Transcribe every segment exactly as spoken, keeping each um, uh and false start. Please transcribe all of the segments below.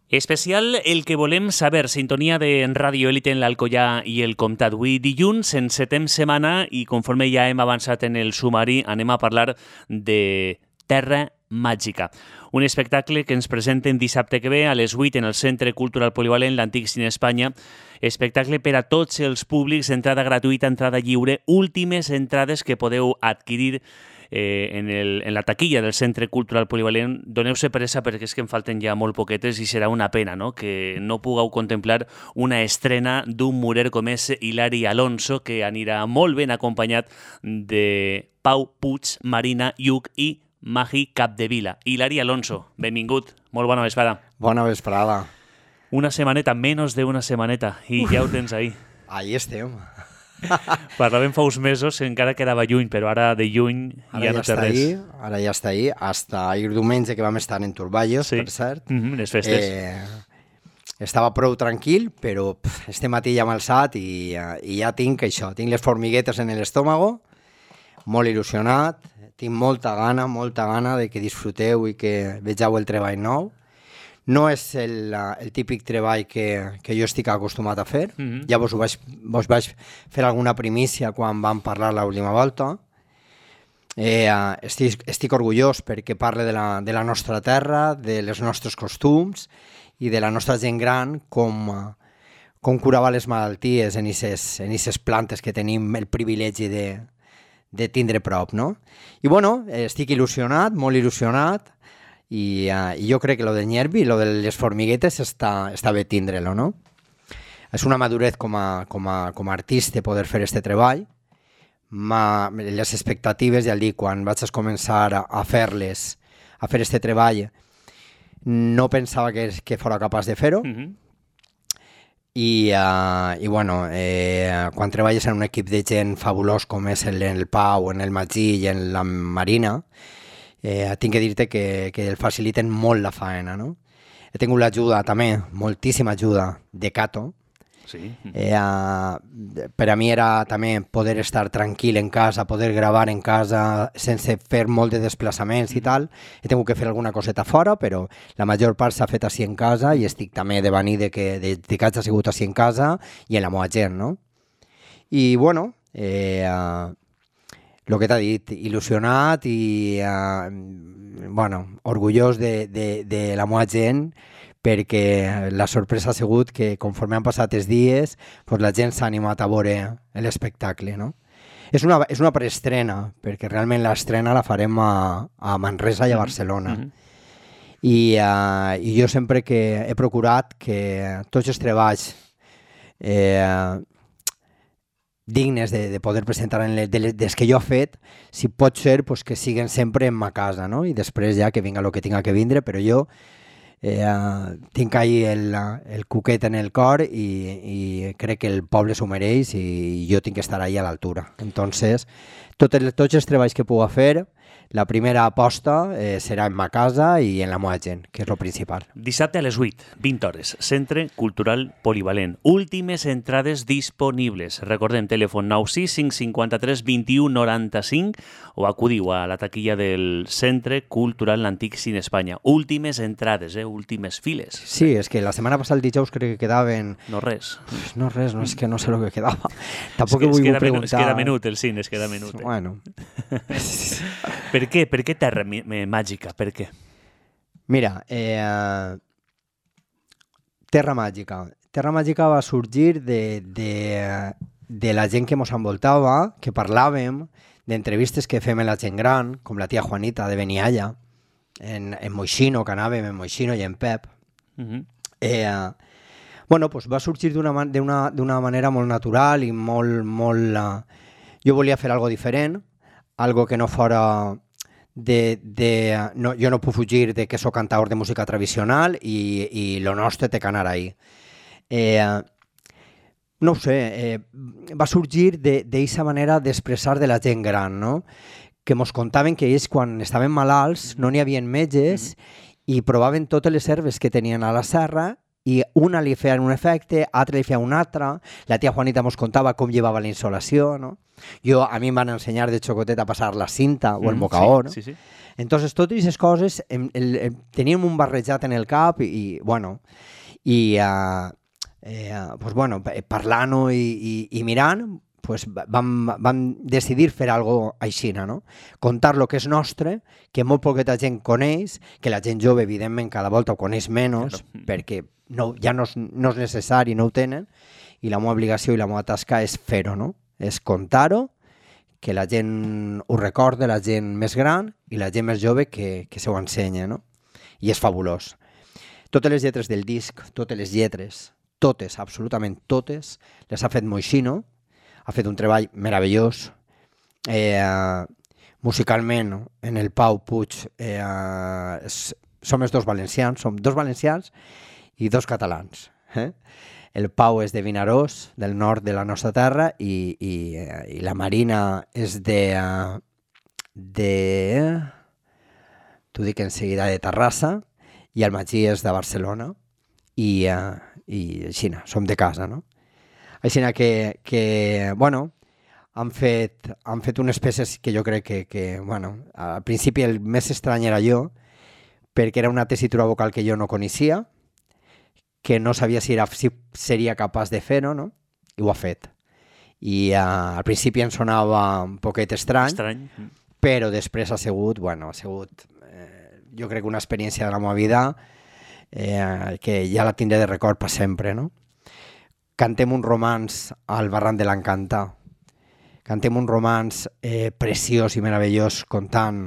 Especial el que volem saber, sintonia de Ràdio Élite en l'Alcoià i el Comtat. Avui dilluns, en setem setmana, i conforme ja hem avançat en el sumari, anem a parlar de Terra Màgica. Un espectacle que ens presenten dissabte que ve a les vuit en el Centre Cultural Polivalent, l'Antic Cine Espanya. Espectacle per a tots els públics, entrada gratuïta, entrada lliure, últimes entrades que podeu adquirir Eh, en, el, en la taquilla del Centre Cultural Polivalent. Doneu-se pressa perquè és que en falten ja molt poquetes i serà una pena, no?, que no pugueu contemplar una estrena d'un murer com és Hilari Alonso, que anirà molt ben acompanyat de Pau Puig, Marina Lluc i Magi Capdevila. Hilari Alonso, benvingut, molt bona vesprada. Bona vesprada. Una setmaneta, menys d'una setmaneta, i ja ho tens ahí. Ahí estem. Parlàvem fa uns mesos, encara quedava lluny, però ara de lluny ara ja, ja no té res. Ahí, ara ja està ahí, hasta ahir diumenge que vam estar en Turballos, sí. Per cert. Mm-hmm, les festes. Eh, estava prou tranquil, però pff, este matí ja m'ha alçat i, i ja tinc això, tinc les formiguetes en l'estómago, molt il·lusionat, tinc molta gana, molta gana de que disfruteu i que vegeu el treball nou. No és el, el típic treball que, que jo estic acostumat a fer. Mm-hmm. Ja vos, ho vaig, vos vaig fer alguna primícia quan vam parlar l'última volta. Eh, estic, estic orgullós perquè parle de la, de la nostra terra, de les nostres costums i de la nostra gent gran, com, com curava les malalties en aquestes plantes que tenim el privilegi de, de tindre prop, no? I bueno, estic il·lusionat, molt il·lusionat, I, uh, i jo crec que lo del nervi i lo de les formiguetes està, està bé tindre-lo, no? És una madurez com a, com a, com a artista poder fer este treball. Ma, les expectatives, ja el dic, quan vaig a començar a, a fer-les, a fer este treball, no pensava que, que fora capaç de fer-ho. Mm-hmm. I, uh, i bueno, eh, quan treballes en un equip de gent fabulós com és el, el Pau, en el Magí i en la Marina, Eh, tinc que dir-te que, que el faciliten molt la faena, no? He tingut l'ajuda també, moltíssima ajuda de Cato. Sí. Eh, uh, per a mi era també poder estar tranquil en casa, poder gravar en casa sense fer molt de desplaçaments i tal. He tingut que fer alguna coseta fora, però la major part s'ha fet així en casa i estic també de venir de que, de, de que hagi sigut així en casa i en la meva gent, no? I bueno, eh... Uh, el que t'ha dit, il·lusionat i uh, bueno, orgullós de, de, de la meva gent, perquè la sorpresa ha sigut que conforme han passat els dies pues la gent s'ha animat a veure l'espectacle, no? És una, és una preestrena, perquè realment l'estrena la farem a, a Manresa i a Barcelona. Mm-hmm. I, uh, I jo sempre que he procurat que tots els treballs eh, dignes de, de poder presentar en les, de les, des que jo he fet, si pot ser pues, que siguen sempre en ma casa, no? I després ja que vinga el que tinga que vindre, però jo eh, tinc ahí el, el cuquet en el cor i, i crec que el poble s'ho mereix i jo tinc que estar ahí a l'altura. Entonces, tot el, tots els treballs que puc fer, la primera aposta eh, serà en ma casa i en la meva gent, que és el principal. Dissabte a les vuit, vint hores, Centre Cultural Polivalent. Últimes entrades disponibles. Recordem, telèfon nou sis cinc cinquanta-tres vint-i-u noranta-cinc o acudiu a la taquilla del Centre Cultural l'Antic Cine Espanya. Últimes entrades, eh? Últimes files. Sí, és que la setmana passada el dijous crec que quedaven... No res. No res, no és que no sé el que quedava. Tampoc es que, vull es preguntar... Es queda menut el cine, es queda menut. Eh? Bueno... Per què? Per què Terra Màgica? Per què? Mira, eh, Terra Màgica. Terra Màgica va sorgir de, de, de la gent que ens envoltava, que parlàvem, d'entrevistes que fem amb la gent gran, com la tia Juanita de Benialla, en, en Moixino, que anàvem en Moixino i en Pep. Uh-huh. eh, bueno, pues va sorgir d'una d'una d'una manera molt natural i molt... molt uh, jo volia fer algo diferent, algo que no fora de... de no, jo no puc fugir de que soc cantador de música tradicional i, i lo nostre té que anar ahí. Eh, no ho sé, eh, va sorgir d'aquesta manera d'expressar de la gent gran, no? Que mos contaven que ells quan estaven malalts no n'hi havia metges mm-hmm. i provaven totes les herbes que tenien a la serra i una li feien un efecte, altra li feia un altre, la tia Juanita mos contava com llevava la insolació, no? Jo, a mi em van ensenyar de xocotet a passar la cinta o el Mm, mocaó, sí, no? sí, sí. Entonces, totes aquestes coses em, el, el, teníem un barrejat en el cap i, i bueno, i uh, eh, pues, bueno, parlant-ho i, i, i mirant, pues, vam, vam decidir fer algo així, no? Contar lo que és nostre, que molt poqueta gent coneix, que la gent jove, evidentment, cada volta ho coneix menys, claro. perquè no, ja no és, no és necessari, no ho tenen, i la meva obligació i la meva tasca és fer-ho, no? És contar-ho, que la gent ho recorda, la gent més gran i la gent més jove que, que se ho ensenya, no? I és fabulós. Totes les lletres del disc, totes les lletres, totes, absolutament totes, les ha fet Moixino, ha fet un treball meravellós. Eh, musicalment, en el Pau Puig, eh, és, som els dos valencians, som dos valencians i dos catalans. Eh? El Pau és de Vinaròs, del nord de la nostra terra, i, i, i la Marina és de... de... t'ho dic en seguida, de Terrassa, i el Magí és de Barcelona, i, uh, i així, som de casa, no? Així que, que, bueno, han fet, han fet unes peces que jo crec que, que, bueno, al principi el més estrany era jo, perquè era una tessitura vocal que jo no coneixia, que no sabia si, era, si seria capaç de fer-ho, no? I ho ha fet. I uh, al principi em sonava un poquet estrany, estrany. però després ha sigut, bueno, ha sigut, eh, jo crec que una experiència de la meva vida eh, que ja la tindré de record per sempre, no? Cantem un romanç al Barranc de l'Encantà. Cantem un romanç eh, preciós i meravellós contant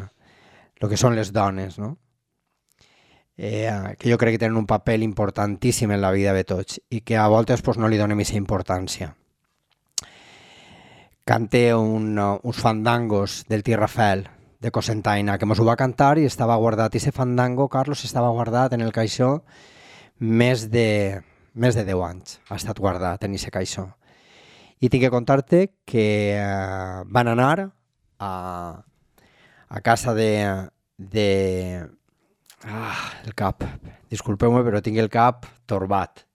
el que són les dones, no? Eh, que jo crec que tenen un paper importantíssim en la vida de tots i que a voltes pues, no li donem aquesta importància. Cante un, uh, uns fandangos del Tio Rafael de Cosentaina, que mos ho va cantar i estava guardat. I ese fandango, Carlos, estava guardat en el caixó més de, més de deu anys. Ha estat guardat en ese caixó. I tinc que contar-te que uh, van anar a, a casa de... de Ah, el cap. Disculpeu-me, però tinc el cap torbat.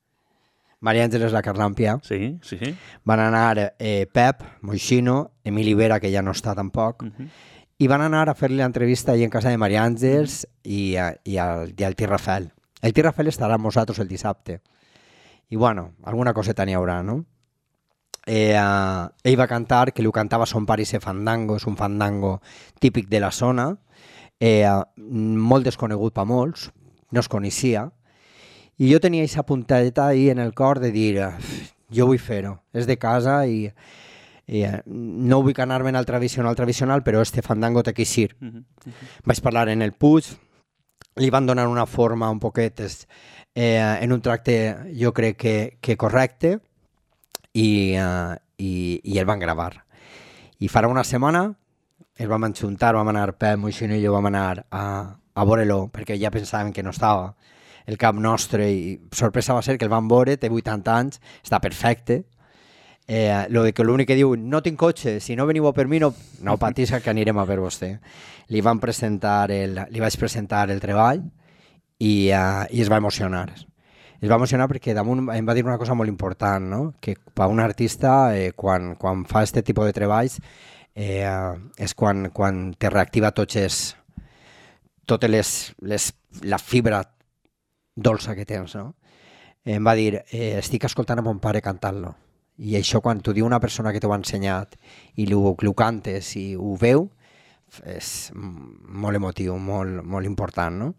Maria Àngeles La Carlàmpia. Sí, sí, sí. Van anar eh, Pep, Moixino, Emili Vera, que ja no està tampoc, uh-huh. i van anar a fer-li l'entrevista ahí en casa de Maria Àngels uh-huh. i, i, al, i al Tio Rafael. El Tio Rafael estarà amb nosaltres el dissabte. I bueno, alguna coseta n'hi haurà, no? Eh, uh, ell va cantar, que li cantava son pare i se fandango, és un fandango típic de la zona, Eh, molt desconegut per molts, no es coneixia, i jo tenia aquesta puntadeta ahí en el cor de dir, jo vull fer-ho, és de casa i, i no vull anar-me'n al tradicional, tradicional, però este fandango té que eixir. Uh -huh, uh -huh. Vaig parlar en el Puig, li van donar una forma un poquet eh, en un tracte jo crec que, que correcte i, uh, i, i el van gravar. I farà una setmana el vam enxuntar, vam anar Pep, Moixino i jo vam anar a, a veure-lo, perquè ja pensàvem que no estava el cap nostre, i sorpresa va ser que el vam veure, té vuitanta anys, està perfecte. Eh, lo de que l'únic que diu, no tinc cotxe, si no veniu per mi, no, no patís que anirem a per vostè. Li van presentar el, li vaig presentar el treball i, uh, i es va emocionar. Es va emocionar perquè damunt em va dir una cosa molt important, no? Que per un artista, eh, quan, quan fa aquest tipus de treballs, Eh, és quan, quan te reactiva tots els, totes les, les, la fibra dolça que tens, no? Em va dir, eh, estic escoltant a mon pare cantant-lo, i això quan t'ho diu una persona que t'ho ha ensenyat i ho, ho cantes i ho veu, és molt emotiu, molt, molt important, no?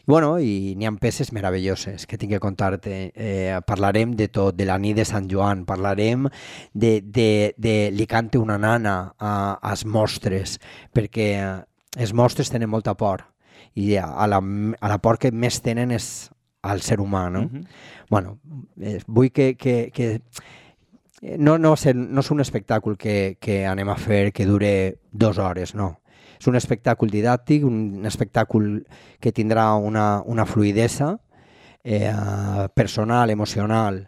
I, bueno, i n'hi ha peces meravelloses que tinc que contar-te. Eh, parlarem de tot, de la nit de Sant Joan, parlarem de, de, de Li cante una nana a, als mostres, perquè els mostres tenen molta por, i a la, a la por que més tenen és al ser humà, no? Uh-huh. Bueno, eh, vull que... que, que no, no, ser, no és un espectacle que, que anem a fer que dure dues hores, no. És un espectacle didàctic, un espectacle que tindrà una, una fluidesa eh, personal, emocional,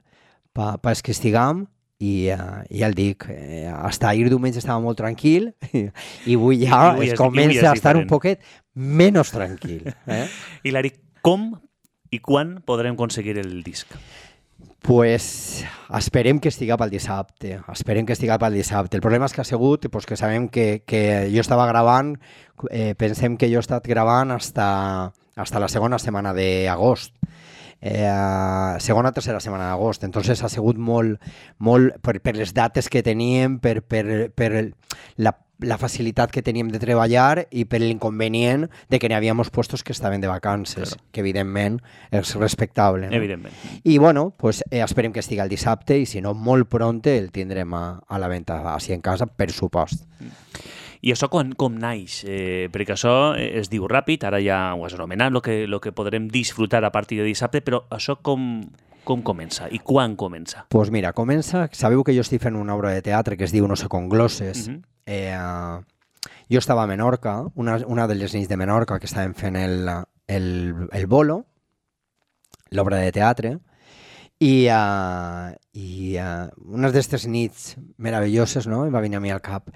per pa que estiguem, i, uh, i ja el dic, eh, hasta ahir diumenge estava molt tranquil i, i avui ja I es comença a estar diferent. Un poquet menys tranquil. Eh? Hilari, com i quan podrem aconseguir el disc? Pues esperem que estiga pel dissabte, esperem que estiga pel dissabte. El problema és que ha sigut pues, que sabem que, que jo estava gravant, eh, pensem que jo he estat gravant hasta, hasta la segona setmana d'agost. Eh, segona o tercera setmana d'agost, entonces ha sigut molt, molt per, per les dates que teníem, per, per, per la, la facilitat que teníem de treballar i per l'inconvenient de que n'hi havia puestos que estaven de vacances, claro. Que evidentment és respectable. No? Evidentment. I bueno, pues, eh, esperem que estigui el dissabte i si no, molt pronte el tindrem a, a la venda així en casa, per supost. Mm. I això com, com naix? Eh, perquè això es diu ràpid, ara ja ho has anomenat, el que, lo que podrem disfrutar a partir de dissabte, però això com, com comença i quan comença? Doncs pues mira, comença... Sabeu que jo estic fent una obra de teatre que es diu No sé con glosses. Uh -huh. eh, jo estava a Menorca, una, una de les nits de Menorca que estàvem fent el, el, el bolo, l'obra de teatre, i, uh, i uh, unes d'aquestes nits meravelloses, no?, em va venir a mi al cap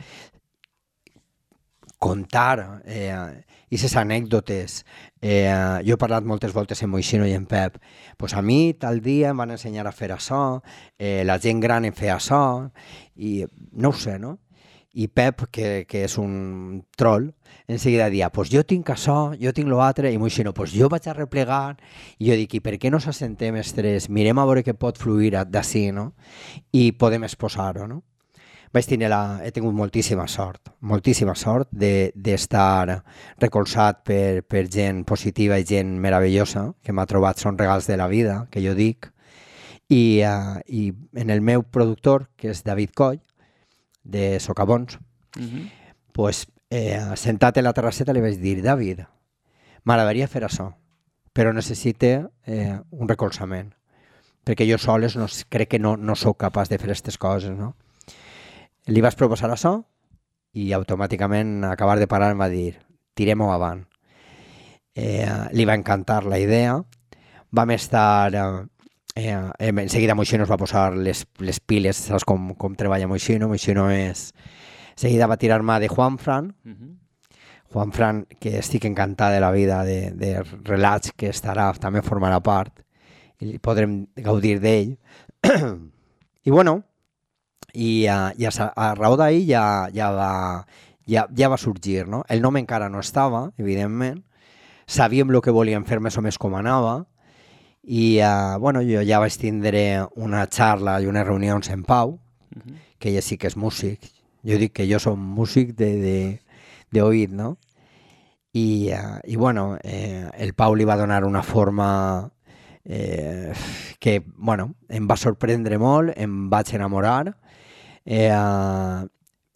contar eh, aquestes anècdotes. Eh, jo he parlat moltes voltes amb Moixino i en Pep. Pues a mi tal dia em van ensenyar a fer això, eh, la gent gran em feia això, i no ho sé, no? I Pep, que, que és un troll, en seguida dia, pues jo tinc això, jo tinc l'altre, i Moixino, pues jo vaig a replegar, i jo dic, i per què no s'assentem els tres? Mirem a veure què pot fluir d'ací, no? I podem exposar-ho, no? Vaig tenir la, he tingut moltíssima sort, moltíssima sort d'estar de, recolzat per, per gent positiva i gent meravellosa, que m'ha trobat, són regals de la vida, que jo dic, i, uh, i en el meu productor, que és David Coll, de Socavons, uh-huh. pues, eh, sentat en la terrasseta li vaig dir, David, m'agradaria fer això, però necessite eh, un recolzament, perquè jo soles no, crec que no, no sóc capaç de fer aquestes coses, no? Li vaig proposar això i automàticament acabar de parar em va dir tirem-ho avant. Eh, li va encantar la idea. Vam estar... Eh, eh, en seguida Moixino es va posar les, les piles, saps com, com treballa Moixino? Moixino és... Seguida va tirar-me de Juanfran. Uh-huh. Juanfran, que estic encantat de la vida, de, de relats que estarà, també formarà part i podrem gaudir d'ell. I bueno... i, uh, i a, a raó d'ahir ja, ja, va, ja, ja va sorgir, no? El nom encara no estava, evidentment, sabíem el que volíem fer més o més com anava i uh, bueno, jo ja vaig tindre una xarra i unes reunions en Pau, uh-huh. que ella sí que és músic, jo dic que jo som músic d'oït, no? I, uh, i bueno, eh, el Pau li va donar una forma eh, que, bueno, em va sorprendre molt, em vaig enamorar. Eh, uh,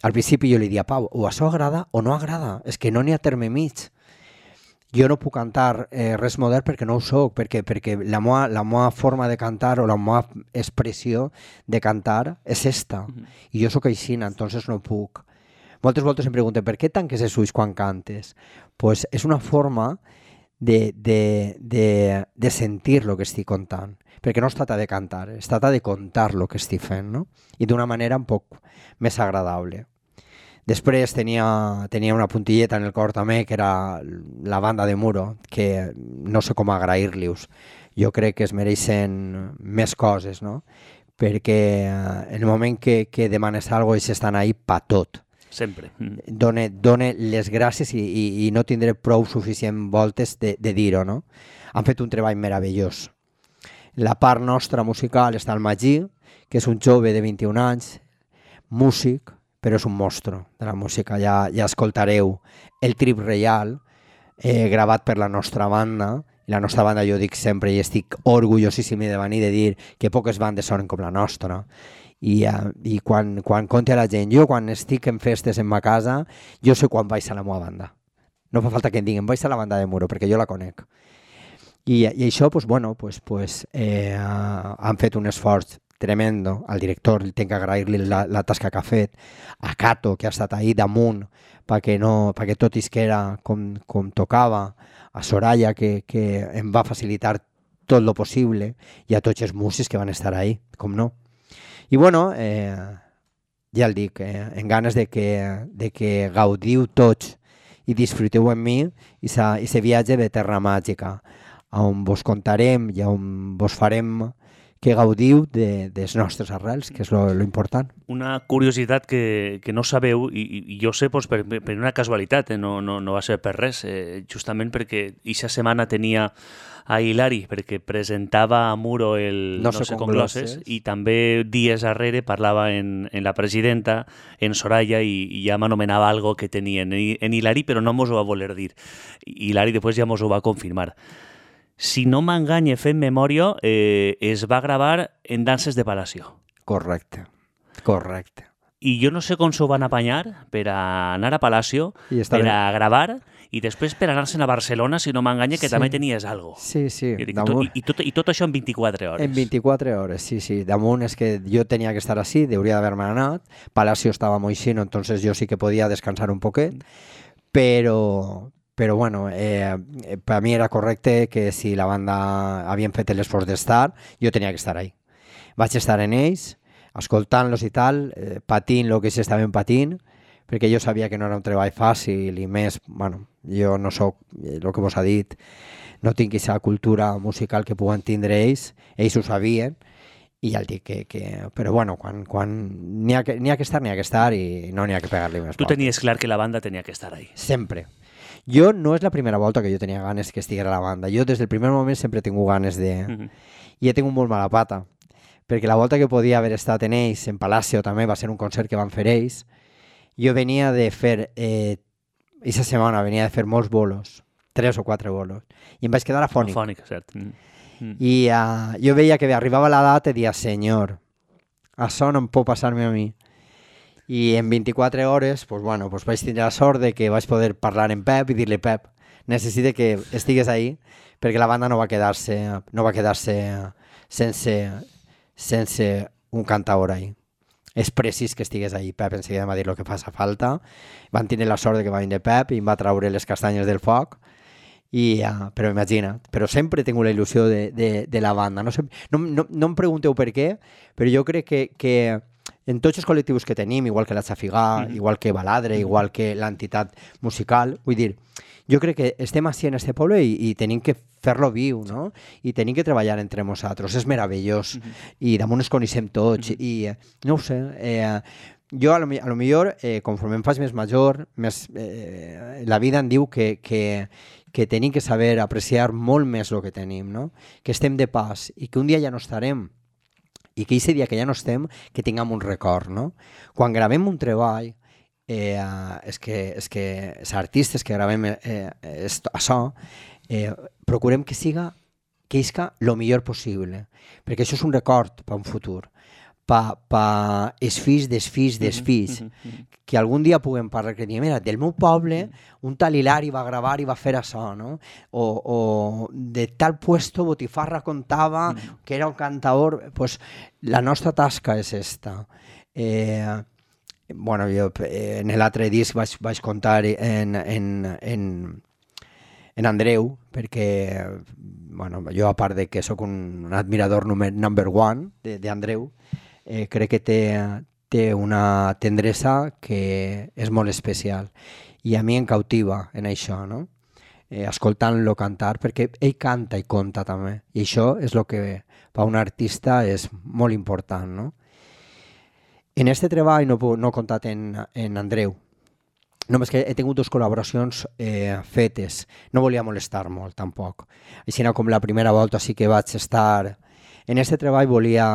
al principi jo li dia, Pau, o això agrada o no agrada, és que no n'hi ha terme mig. Jo no puc cantar eh, res modern perquè no ho soc, perquè, perquè la meva, la meva forma de cantar o la meva expressió de cantar és esta, uh-huh. i jo sóc aixina, entonces no puc. Moltes voltes em pregunten, per què tanques els ulls quan cantes? Pues és una forma de, de, de, de sentir el que estic contant, perquè no es tracta de cantar, es tracta de contar el que estic fent, no? I d'una manera un poc més agradable. Després tenia, tenia una puntilleta en el cor també, que era la banda de Muro, que no sé com agrair-li-us. Jo crec que es mereixen més coses, no? Perquè en el moment que, que demanes alguna cosa, ells estan ahí pa tot. Sempre. Mm. Done, done les gràcies i, i, i no tindré prou suficient voltes de, de dir-ho, no? Han fet un treball meravellós. La part nostra musical està al Magí, que és un jove de vint-i-un anys, músic, però és un monstre de la música. Ja, ja escoltareu el Trip Reial, eh, gravat per la nostra banda. La nostra banda, jo dic sempre, i estic orgullosíssim de venir de dir que poques bandes sonen com la nostra. I, uh, i quan, quan conti a la gent, jo quan estic en festes en ma casa, jo sé quan vaig a la meva banda. No fa falta que em diguin, vaig a la banda de Muro, perquè jo la conec. I, i això, pues, bueno, pues, pues, eh, uh, han fet un esforç tremendo. Al director li tinc que agrair-li la, la tasca que ha fet, a Cato, que ha estat ahí damunt perquè, no, perquè tot isquera com, com tocava, a Soraya, que, que em va facilitar tot lo possible, i a tots els músics que van estar ahí, com no. I bueno, eh, ja el dic, eh, en ganes de que, de que gaudiu tots i disfruteu amb mi i se viatge de Terra Màgica, on vos contarem i on vos farem que gaudiu de, de les nostres arrels, que és lo, lo important. Una curiositat que, que no sabeu, i, i jo sé pues, per, per una casualitat, eh? no, no, no va ser per res, eh? justament perquè aquesta setmana tenia a Hilari, perquè presentava a Muro el No, No, sé sé com com glosses, glosses. i també dies darrere parlava en, en la presidenta, en Soraya, i, i ja m'anomenava algo que tenia en, en Hilari, però no mos ho va voler dir. Hilari després ja mos ho va confirmar. Si no m'enganye fent memòria, eh, es va gravar en Danses de Palacio. Correcte, correcte. I jo no sé com s'ho van apanyar per a anar a Palacio, I està per bé. a gravar, i després per anar-se'n a Barcelona, si no m'enganya, que Sí. també tenies algo. Sí, sí, I, dic, damunt, i, i, tot, I tot això en vint-i-quatre hores. en vint-i-quatre hores, sí, sí. Damunt és que jo tenia que estar així, hauria d'haver-me anat. Palacio estava molt xino, entonces jo sí que podia descansar un poquet, però, però bueno, eh, per a mi era correcte que si la banda havien fet l'esforç d'estar, jo tenia que estar ahí. Vaig estar en ells, escoltant-los i tal, eh, patint el que s'estaven patint, perquè jo sabia que no era un treball fàcil i més, bueno, jo no sóc, el que vos ha dit, no tinc aquesta cultura musical que puguen tindre ells, ells ho sabien, i ja el dic que... que però bueno, quan, quan n'hi ha, que, n'hi ha que estar, n'hi ha que estar i no n'hi ha que pegar-li més Tu portes. tenies clar que la banda tenia que estar ahí. Sempre. Jo no és la primera volta que jo tenia ganes que estiguera a la banda. Jo des del primer moment sempre he tingut ganes de... Mm-hmm. I he tingut molt mala pata, perquè la volta que podia haver estat en ells, en Palacio també, va ser un concert que van fer ells. Jo venia de fer... Eh, aquesta setmana venia de fer molts bolos, tres o quatre bolos, i em vaig quedar afònic. Afònic, cert. Mm. Mm. I uh, jo veia que arribava la data i dia, senyor, això no em pot passar-me a mi. I en vint-i-quatre hores, pues, bueno, pues vaig tindre la sort de que vaig poder parlar amb Pep i dir-li, Pep, necessite que estigues ahí, perquè la banda no va quedar-se no va quedar-se sense, sense un cantaor ahí. És precís que estigués ahí. Pep enseguida em va dir el que fa falta. Van tenir la sort de que va venir Pep i em va traure les castanyes del foc. I, uh, però imagina't, però sempre he tingut la il·lusió de, de, de la banda. No, sé, no, no, no em pregunteu per què, però jo crec que, que en tots els col·lectius que tenim, igual que la Xafigà, mm. igual que Baladre, mm. igual que l'entitat musical, vull dir, jo crec que estem així en este poble i, i tenim que fer-lo viu, no? I tenim que treballar entre nosaltres, és meravellós, mm-hmm. i damunt ens coneixem tots, mm-hmm. i no ho sé, eh, jo a lo, a lo millor, eh, conforme em faig més major, més, eh, la vida em diu que, que, que tenim que saber apreciar molt més el que tenim, no? Que estem de pas i que un dia ja no estarem, i que aquest dia que ja no estem, que tinguem un record, no? Quan gravem un treball, eh, és que, és que els artistes que gravem eh, esto, això, eh, procurem que siga, que isca el millor possible, perquè això és un record per un futur, per pa els fills dels fills dels fills, que algun dia puguem parlar, que diguem, mira, del meu poble, un tal Hilari va gravar i va fer això, no? O, o de tal puesto Botifarra contava que era un cantador, pues la nostra tasca és esta. Eh, bueno, jo eh, en l'altre disc vaig, vaig contar en, en, en, en Andreu, perquè bueno, jo a part de que sóc un, un admirador number, number one d'Andreu, eh, crec que té, té una tendresa que és molt especial i a mi em cautiva en això, no? Eh, escoltant-lo cantar, perquè ell canta i conta també, i això és el que per un artista és molt important, no? En aquest treball no, no he comptat en, en Andreu, només que he tingut dues col·laboracions eh, fetes, no volia molestar molt tampoc, així com la primera volta sí que vaig estar. En aquest treball volia,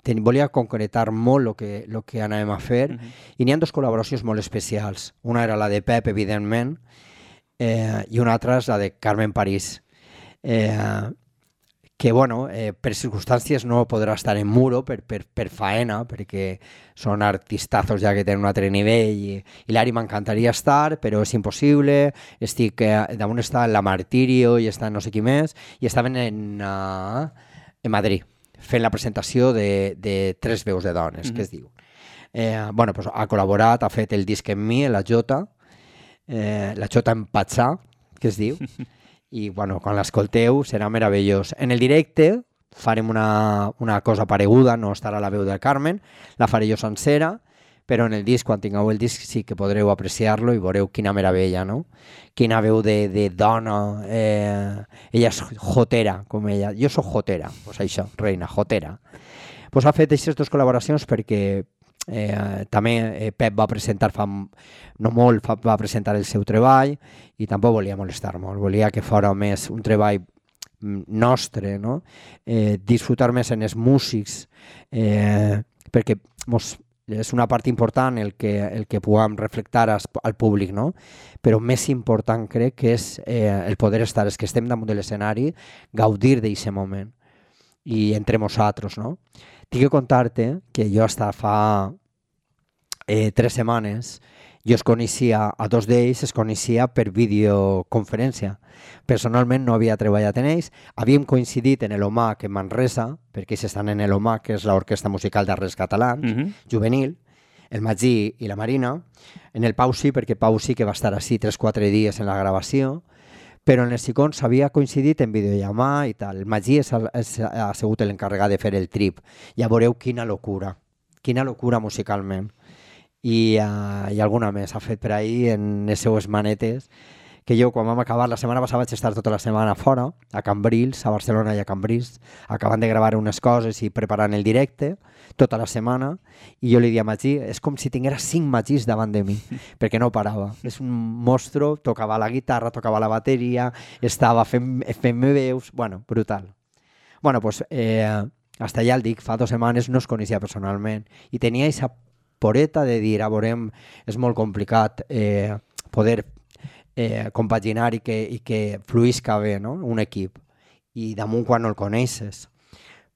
ten, volia concretar molt el que, lo que anàvem a fer, uh-huh. i n'hi ha dues col·laboracions molt especials. Una era la de Pep, evidentment, eh, i una altra és la de Carmen París, eh, que bueno, eh, per circumstàncies no podrà estar en Muro per, per, per faena, perquè són artistazos ja que tenen un altre nivell, i, i l'Ari m'encantaria estar, però és impossible, estic, eh, damunt està la Martirio i està no sé qui més, i estaven en... Uh, en Madrid, fent la presentació de, de Tres veus de dones, mm-hmm. que es diu. Eh, bueno, pues ha col·laborat, ha fet el disc amb mi, la Jota, eh, la Jota en Patsà, que es diu, i bueno, quan l'escolteu serà meravellós. En el directe farem una, una cosa pareguda, no estarà la veu de Carmen, la faré jo sencera, però en el disc, quan tingueu el disc, sí que podreu apreciar-lo i veureu quina meravella, no? Quina veu de, de dona, eh, ella és jotera, com ella, jo soc jotera, pues això, reina, jotera. Pues ha fet aquestes dues col·laboracions perquè eh, també eh, Pep va presentar fa no molt, fa, va presentar el seu treball i tampoc volia molestar molt, volia que fos més un treball nostre, no? eh, disfrutar més en els músics, eh, perquè mos, és una part important el que, el que puguem reflectar as, al públic, no? Però més important crec que és eh, el poder estar, els que estem damunt de l'escenari, gaudir d'aquest moment i entre nosaltres, no? Tinc que contar-te que jo hasta fa eh, tres setmanes jo es coneixia, a dos d'ells es coneixia per videoconferència. Personalment no havia treballat en ells, havíem coincidit en l'OMAC en Manresa, perquè ells estan en l'OMAC, que és l'Orquestra Musical d'Arrels Catalans, uh-huh. juvenil, el Magí i la Marina, en el Pau sí, perquè Pau sí que va estar així tres o quatre dies en la gravació, però en els Sicons s'havia coincidit en videollamar i tal. El Magí és, és, ha sigut l'encarregat de fer el trip. Ja veureu quina locura, quina locura musicalment. I, uh, i alguna més ha fet per ahir en les seues manetes, que jo quan vam acabar la setmana passada vaig estar tota la setmana fora, a Cambrils, a Barcelona i a Cambrils, acabant de gravar unes coses i preparant el directe tota la setmana, i jo li dia a Magí, és com si tinguera cinc Magís davant de mi, perquè no parava. És un mostro, tocava la guitarra, tocava la bateria, estava fent, fent veus, bueno, brutal. Bueno, doncs, eh, hasta ja el dic, fa dues setmanes no es coneixia personalment, i tenia aquesta poreta de dir, a veurem, és molt complicat eh, poder eh, compaginar i que, i que fluïsca bé, no? Un equip, i damunt quan no el coneixes.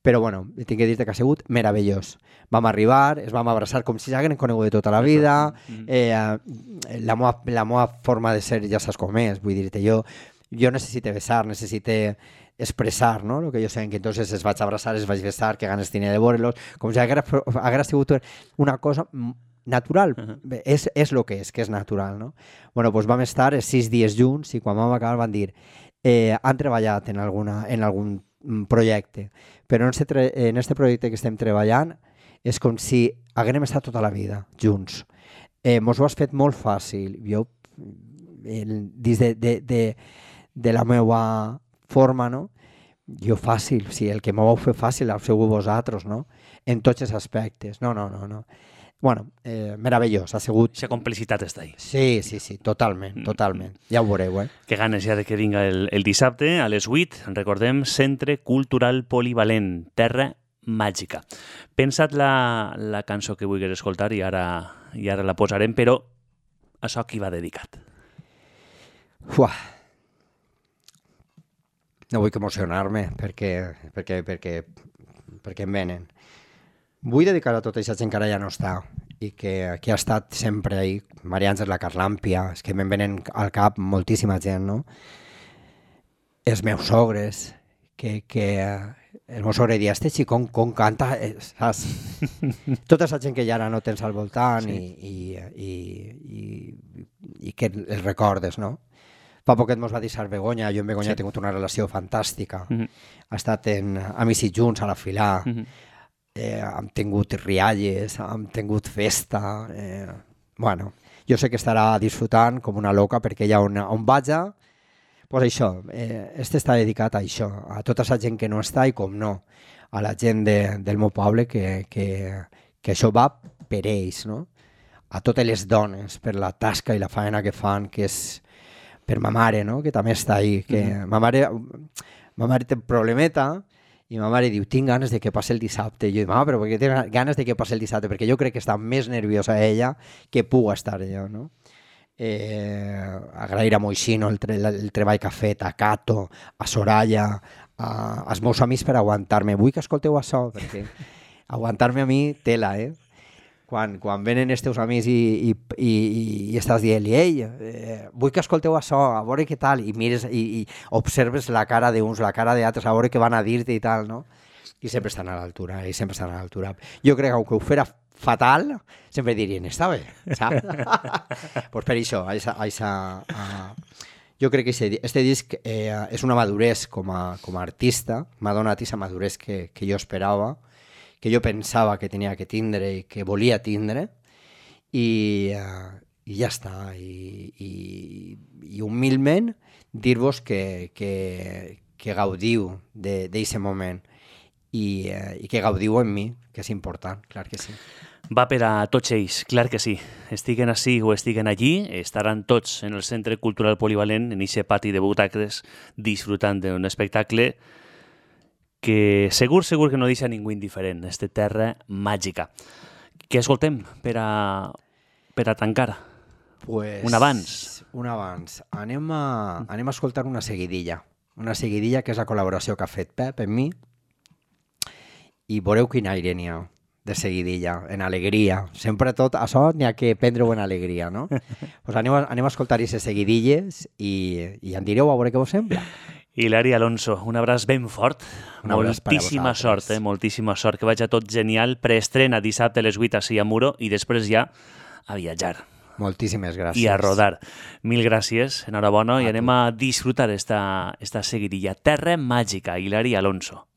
Però bueno, tinc que dir-te que ha sigut meravellós. Vam arribar, es vam abraçar com si s'hagueren conegut de tota la vida, eh, la, meva, la meva forma de ser ja saps com és, vull dir-te, jo, jo necessite besar, necessite expressar, ¿no? Lo que yo sé, que entonces es vaig abraçar, es vaig besar, que ganes tenia de veure-los, com si haguera, haguera sigut una cosa natural, uh-huh. és, és lo que és, que és natural, no? Bueno, pues vam estar sis dies junts i quan vam acabar van dir eh, han treballat en, alguna, en algun projecte, però en este, en este projecte que estem treballant és com si haguérem estat tota la vida junts. Eh, mos ho has fet molt fàcil. Jo, el, des de, de, de, de la meva forma, no? Jo fàcil, sí, el que m'ho vau fer fàcil heu sigut vosaltres, no? En tots els aspectes. No, no, no, no. Bueno, eh, meravellós, ha sigut... Aquesta complicitat està ahí. Sí, sí, sí, totalment, totalment. Ja ho veureu, eh? Que ganes ja de que vinga el, el dissabte a les vuit. Recordem, Centre Cultural Polivalent, Terra Màgica. Pensa't la, la cançó que vulguis escoltar i ara, i ara la posarem, però a això qui va dedicat? Uah. No vull emocionar-me perquè, perquè, perquè, perquè em venen. Vull dedicar a tota aquesta gent que ara ja no està i que, que ha estat sempre ahí. Maria Àngels, la Carlàmpia, és que me'n venen al cap moltíssima gent, no? Els meus sogres, que, que el meu sogre dia, este xicón com canta, saps? Tota aquesta gent que ja ara no tens al voltant sí. i, i, i, i, i que els recordes, no? Fa poquet mos va deixar Begoña, jo amb Begoña sí. he tingut una relació fantàstica, mm-hmm. ha estat en Amics i Junts a la Filà, mm-hmm. eh, hem tingut rialles, hem tingut festa, eh, bueno, jo sé que estarà disfrutant com una loca perquè ella on, on vaja, pues això, eh, este està dedicat a això, a tota la gent que no està i com no, a la gent de, del meu poble que, que, que això va per ells, no? A totes les dones, per la tasca i la feina que fan, que és per ma mare, no? Que també està ahí. Que mm-hmm. ma, mare, ma mare té un problemeta i ma mare diu, tinc ganes de que passi el dissabte. I jo dic, mama, però per què tinc ganes de que passi el dissabte? Perquè jo crec que està més nerviosa ella que puc estar jo, no? Eh, agrair a Moixino el, tre el treball que ha fet, a Cato, a Soraya, a, als meus amics per aguantar-me. Vull que escolteu això, perquè aguantar-me a mi, tela, eh? Quan, quan venen els teus amics i, i, i, i estàs dient, ei, eh, vull que escolteu això, a veure què tal, i mires i, i observes la cara d'uns, la cara d'altres, a veure què van a dir-te i tal, no? I sempre estan a l'altura, i sempre estan a l'altura. Jo crec que aunque ho fera fatal, sempre dirien, està bé, saps? Pues per això, a esa, a esa, a... jo crec que este, este disc eh, és una madurez com a, com a artista, m'ha donat aquesta madurez que, que jo esperava, que jo pensava que tenia que tindre i que volia tindre, i, uh, i ja està. I, i, i humilment dir-vos que, que, que gaudiu d'aquest moment i, uh, i que gaudiu en mi, que és important, clar que sí. Va per a tots ells, clar que sí. Estiguen ací o estiguen allí, estaran tots en el Centre Cultural Polivalent, en aquest pati de butaques, disfrutant d'un espectacle que segur, segur que no deixa ningú indiferent, esta terra màgica. Què escoltem per a, per a tancar? Pues, un abans. Un abans. Anem a, anem a escoltar una seguidilla. Una seguidilla que és la col·laboració que ha fet Pep en mi. I veureu quin aire n'hi ha de seguidilla, en alegria. Sempre tot això n'hi ha que prendre-ho en alegria, no? Pues anem, a, anem a escoltar aquestes seguidilles i, i en direu a veure què us sembla. Hilari Alonso, un abraç ben fort. Un abraç per a moltíssima vosaltres. sort, eh? Moltíssima sort. Que vagi tot genial. Preestrena dissabte a les vuit a Muro i després ja a viatjar. Moltíssimes gràcies. I a rodar. Mil gràcies, enhorabona, A i anem tu. a disfrutar esta, esta seguidilla. Terra màgica, Hilari Alonso.